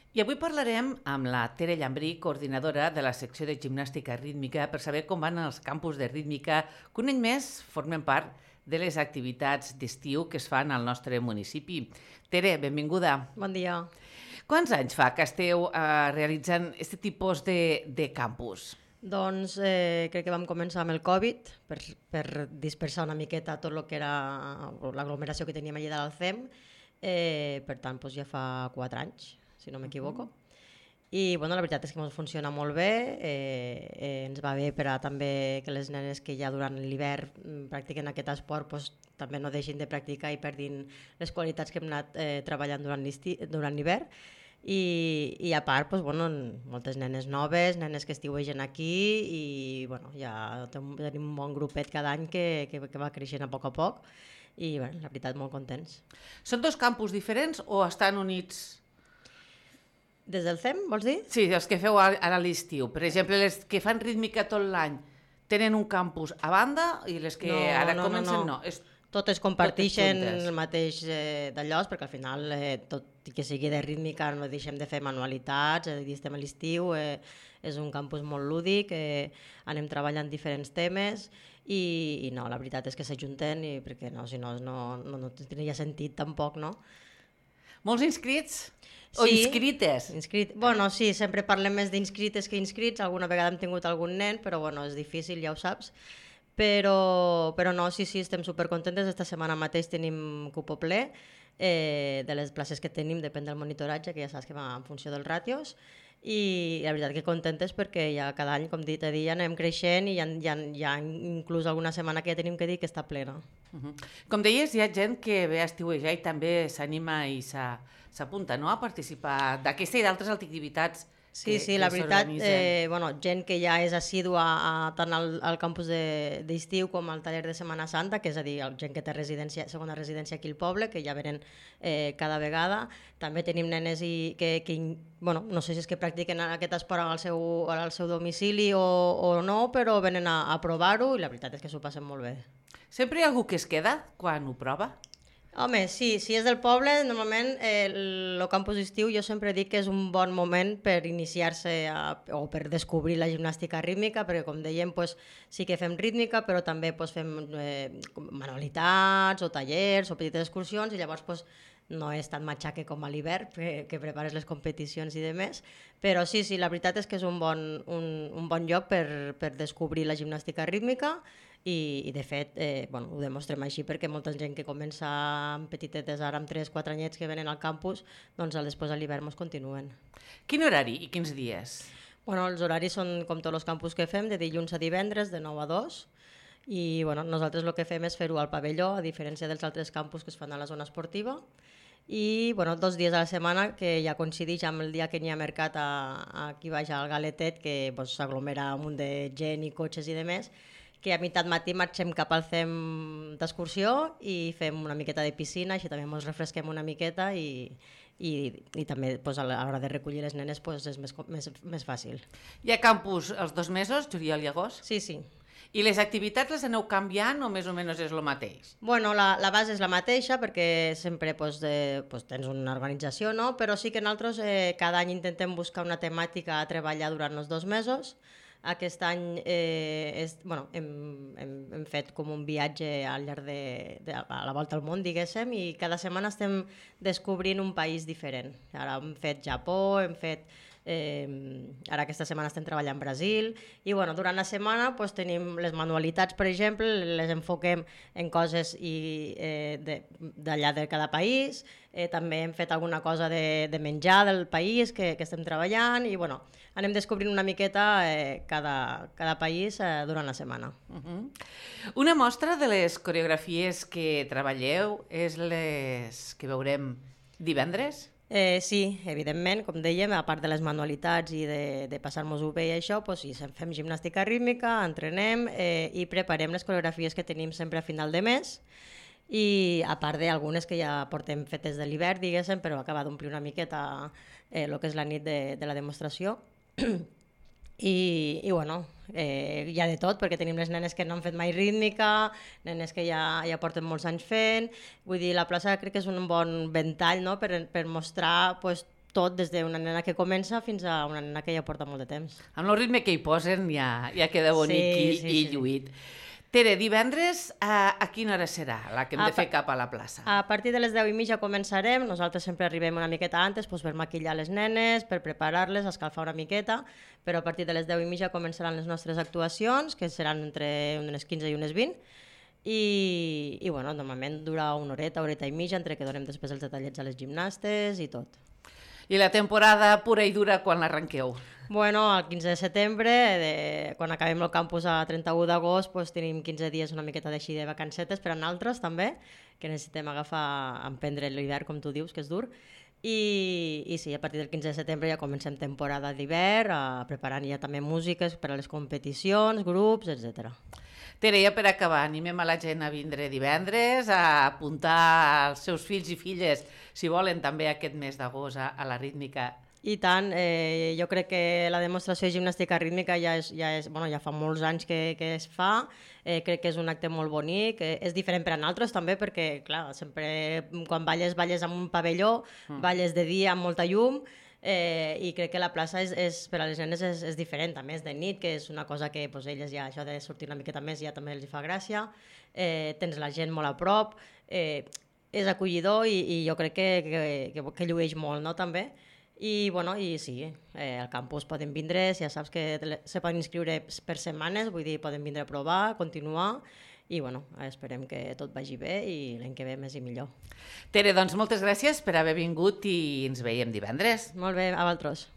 I avui parlarem amb la Tere Llambrí, coordinadora de la secció de gimnàstica rítmica, per saber com van els campus de rítmica, que un any més formen part de les activitats d'estiu que es fan al nostre municipi. Tere, benvinguda. Bon dia. Quants anys fa que esteu realitzant aquest tipus de campus? Doncs crec que vam començar amb el Covid per dispersar una miqueta tot el que era l'aglomeració que teníem allà de l'Alcem. Per tant, doncs ja fa 4 anys, si no m'equivoco. I bueno, la veritat és que ens funciona molt bé, ens va bé per a també que les nenes que ja durant l'hivern practiquen aquest esport doncs, també no deixin de practicar i perdin les qualitats que hem anat treballant durant l'hivern. I a part, doncs, bueno, moltes nenes noves, nenes que estiuegen aquí i bueno, ja tenim un bon grupet cada any que va creixent a poc i bueno, la veritat molt contents. Són dos campus diferents o estan units? Des del CEM, vols dir? Sí, els que feu ara a l'estiu. Per exemple, les que fan rítmica tot l'any tenen un campus a banda i les que ara comencen no. Totes comparteixen el mateix d'allò, perquè al final, tot i que sigui de rítmica, no deixem de fer manualitats, estem a l'estiu, és un campus molt lúdic, anem treballant diferents temes i no, la veritat és que s'ajunten perquè no, si no tindria sentit tampoc, no? Molts inscrits? O sí, inscrites? Bueno, sí, sempre parlem més d'inscrites que inscrits, alguna vegada hem tingut algun nen, però bueno, és difícil, ja ho saps. Però no, sí, estem supercontentes. Esta setmana mateix tenim cupo ple de les places que tenim, depèn del monitoratge, que ja saps que va en funció dels ràtios, i la veritat que contentes perquè ja cada any, com he dit, anem creixent i hi ha inclús alguna setmana que ja tenim que dir que està plena. Com deies, hi ha gent que ve a estiuejar i també s'anima i s'apunta, no?, a participar d'aquesta i d'altres activitats. Sí, la veritat, gent que ja és assídua tant al campus d'estiu com al taller de Setmana Santa, que és a dir, gent que té segona residència aquí al poble, que ja venen cada vegada. També tenim nenes que no sé si és que practiquen aquest esport al seu domicili o no, però venen a provar-ho i la veritat és que s'ho passen molt bé. Sempre hi ha algú que es queda quan ho prova? Home, sí, si és del poble, normalment el campus d'estiu jo sempre dic que és un bon moment per iniciar-se o per descobrir la gimnàstica rítmica, perquè com dèiem sí que fem rítmica, però també fem manualitats o tallers o petites excursions i llavors no és tan matxaque com a l'hivern, que prepares les competicions i demés, però sí, la veritat és que és un bon lloc per descobrir la gimnàstica rítmica i de fet ho demostrem així perquè molta gent que comença amb petitetes ara amb 3-4 anyets que venen al campus, doncs després a l'hivern ens continuen. Quin horari i quins dies? Els horaris són com tots els campus que fem, de dilluns a divendres, de 9 a 2, i nosaltres el que fem és fer-ho al pavelló, a diferència dels altres campus que es fan a la zona esportiva, i 2 dies a la setmana que ja coincideix amb el dia que n'hi ha mercat aquí baix al Galetet, que s'aglomera un munt de gent i cotxes i demés, que a meitat matí marxem cap al CEM d'excursió i fem una miqueta de piscina, així també ens refresquem una miqueta i també a l'hora de recollir les nenes és més fàcil. Hi ha campus els 2 mesos, juliol i agost? Sí. I les activitats les aneu canviant o més o menys és el mateix? La base és la mateixa perquè sempre tens una organització, no? Però sí que nosaltres cada any intentem buscar una temàtica a treballar durant els 2 mesos. Aquest any hem fet com un viatge al llarg a la volta al món, diguéssim, i cada setmana estem descobrint un país diferent. Ara hem fet Japó, ara aquesta setmana estem treballant Brasil i durant la setmana tenim les manualitats, per exemple, les enfoquem en coses d'allà de cada país, també hem fet alguna cosa de menjar del país que estem treballant i anem descobrint una miqueta cada país durant la setmana. Una mostra de les coreografies que treballeu és les que veurem divendres? Sí, evidentment, com dèiem, a part de les manualitats i de passar-nos-ho bé i això, sí, fem gimnàstica rítmica, entrenem i preparem les coreografies que tenim sempre a final de mes i a part d'algunes que ja portem fetes de l'hivern, diguéssim, però acaba d'omplir una miqueta el que és la nit de la demostració. I hi ha de tot, perquè tenim les nenes que no han fet mai rítmica, nenes que ja porten molts anys fent, vull dir, la plaça crec que és un bon ventall, no?, per mostrar tot, des d'una nena que comença fins a una nena que ja porta molt de temps. Amb el ritme que hi posen ja queda bonic i lluït. Tere, divendres a quina hora serà la que hem de fer cap a la plaça? A partir de les 10:30 començarem, nosaltres sempre arribem una miqueta antes per maquillar les nenes, per preparar-les, escalfar una miqueta, però a partir de les 10:30 començaran les nostres actuacions, que seran entre unes 15 i unes 20, i bueno, normalment dura una horeta i mitja, entre que donem després els detallets a les gimnastes i tot. I la temporada pura i dura quan l'arrenqueu? Bueno, el 15 de setembre, quan acabem el campus a 31 d'agost, tenim 15 dies una miqueta d'així de vacancetes per a nosaltres també, que necessitem emprendre l'hivern, com tu dius, que és dur. I sí, a partir del 15 de setembre ja comencem temporada d'hivern, preparant ja també músiques per a les competicions, grups, etc. Tere, ja per acabar, animem a la gent a vindre divendres, a apuntar els seus fills i filles, si volen també aquest mes d'agost a la rítmica. I tant, jo crec que la demostració de gimnàstica rítmica ja fa molts anys que es fa, crec que és un acte molt bonic, és diferent per a nosaltres també perquè, clar, sempre quan balles amb un pavelló, balles de dia amb molta llum, i crec que la plaça per a les nenes és diferent, a més de nit, que és una cosa que elles ja, això de sortir una miqueta més ja també els fa gràcia, tens la gent molt a prop, és acollidor i jo crec que llueix molt, no, també. I sí, al campus poden vindre, ja saps que se poden inscriure per setmanes, vull dir, poden vindre a provar, continuar, i esperem que tot vagi bé i l'any que ve més i millor. Tere, doncs moltes gràcies per haver vingut i ens veiem divendres. Molt bé, a vosaltres.